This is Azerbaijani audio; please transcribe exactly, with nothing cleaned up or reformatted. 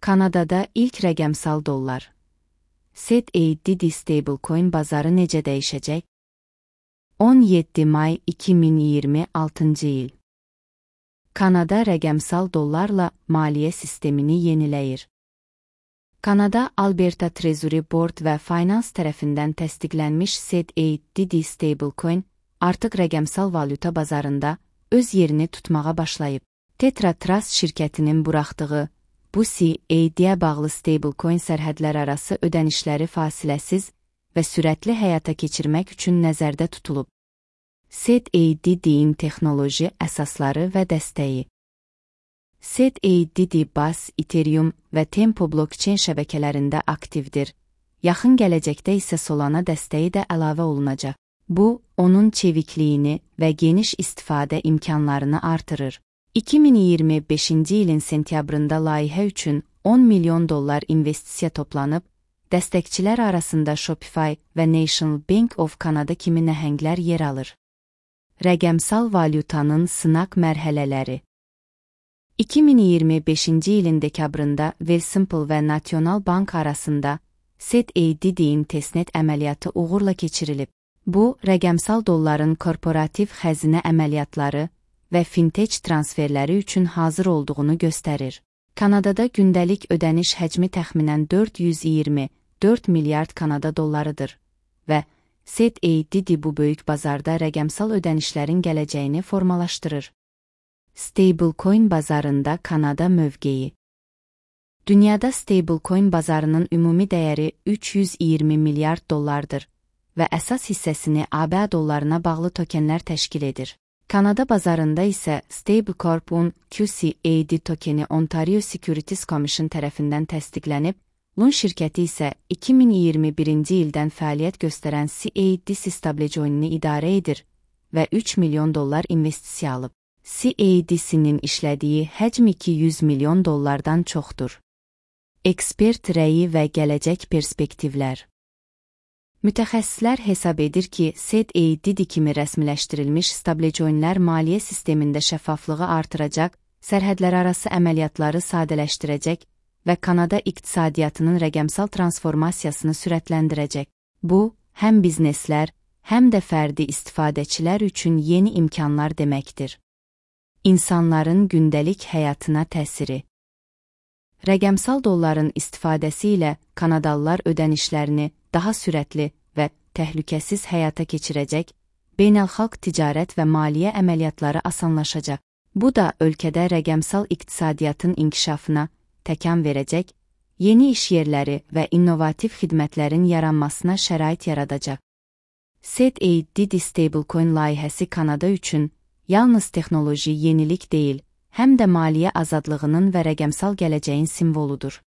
Kanadada ilk rəqəmsal dollar. S E D D stablecoin bazarı necə dəyişəcək? on yeddi may iki min iyirmi altıncı il. Kanada rəqəmsal dollarla maliyyə sistemini yeniləyir. Kanada Alberta Treasury Board və Finance tərəfindən təsdiqlənmiş S E D D stablecoin artıq rəqəmsal valyuta bazarında öz yerini tutmağa başlayıb. Tetra Trust şirkətinin buraxdığı bu S E D-yə bağlı stablecoin sərhədlər arası ödənişləri fasiləsiz və sürətli həyata keçirmək üçün nəzərdə tutulub. S E D D-in texnoloji əsasları və dəstəyi. S E D D B A S, Ethereum və Tempo blockchain şəbəkələrində aktivdir. Yaxın gələcəkdə isə Solana dəstəyi də əlavə olunacaq. Bu, onun çevikliyini və geniş istifadə imkanlarını artırır. iki min iyirmi beşinci ilin sentyabrında layihə üçün on milyon dollar investisiya toplanıb, dəstəkçilər arasında Shopify və National Bank of Canada kimi nəhənglər yer alır. Rəqəmsal valyutanın sınaq mərhələləri. iki min iyirmi beşinci ilin dekabrında Wealthsimple və National Bank arasında S E D D-in testnet əməliyyatı uğurla keçirilib. Bu, rəqəmsal dolların korporativ xəzinə əməliyyatları və fintech transferləri üçün hazır olduğunu göstərir. Kanadada gündəlik ödəniş həcmi təxminən dörd yüz iyirmi dörd milyard Kanada dollarıdır və S E D D bu böyük bazarda rəqəmsal ödənişlərin gələcəyini formalaşdırır. Stablecoin bazarında Kanada mövqeyi. Dünyada stablecoin bazarının ümumi dəyəri üç yüz iyirmi milyard dollardır və əsas hissəsini A B dollarına bağlı tokenlər təşkil edir. Kanada bazarında isə Stablecorp-un Q C A D tokeni Ontario Securities Commission tərəfindən təsdiqlənib, Lun şirkəti isə iki min iyirmi birinci ildən fəaliyyət göstərən S E D D stablecoinini idarə edir və üç milyon dollar investisiya alıb. S E D D-sinin işlədiyi həcm iki yüz milyon dollardan çoxdur. Ekspert rəyi və gələcək perspektivlər. Mütəxəssislər hesab edir ki, S E D D kimi rəsmiləşdirilmiş stablecoinlər maliyyə sistemində şəffaflığı artıracaq, sərhədlərarası əməliyyatları sadələşdirəcək və Kanada iqtisadiyyatının rəqəmsal transformasiyasını sürətləndirəcək. Bu, həm bizneslər, həm də fərdi istifadəçilər üçün yeni imkanlar deməkdir. İnsanların gündəlik həyatına təsiri. Rəqəmsal dolların istifadəsi ilə Kanadalılar ödənişlərini daha sürətli və təhlükəsiz həyata keçirəcək, beynəlxalq ticarət və maliyyə əməliyyatları asanlaşacaq. Bu da ölkədə rəqəmsal iqtisadiyyatın inkişafına təkan verəcək, yeni iş yerləri və innovativ xidmətlərin yaranmasına şərait yaradacaq. S E D D stablecoin layihəsi Kanada üçün yalnız texnoloji yenilik deyil, həm də maliyyə azadlığının və rəqəmsal gələcəyin simvoludur.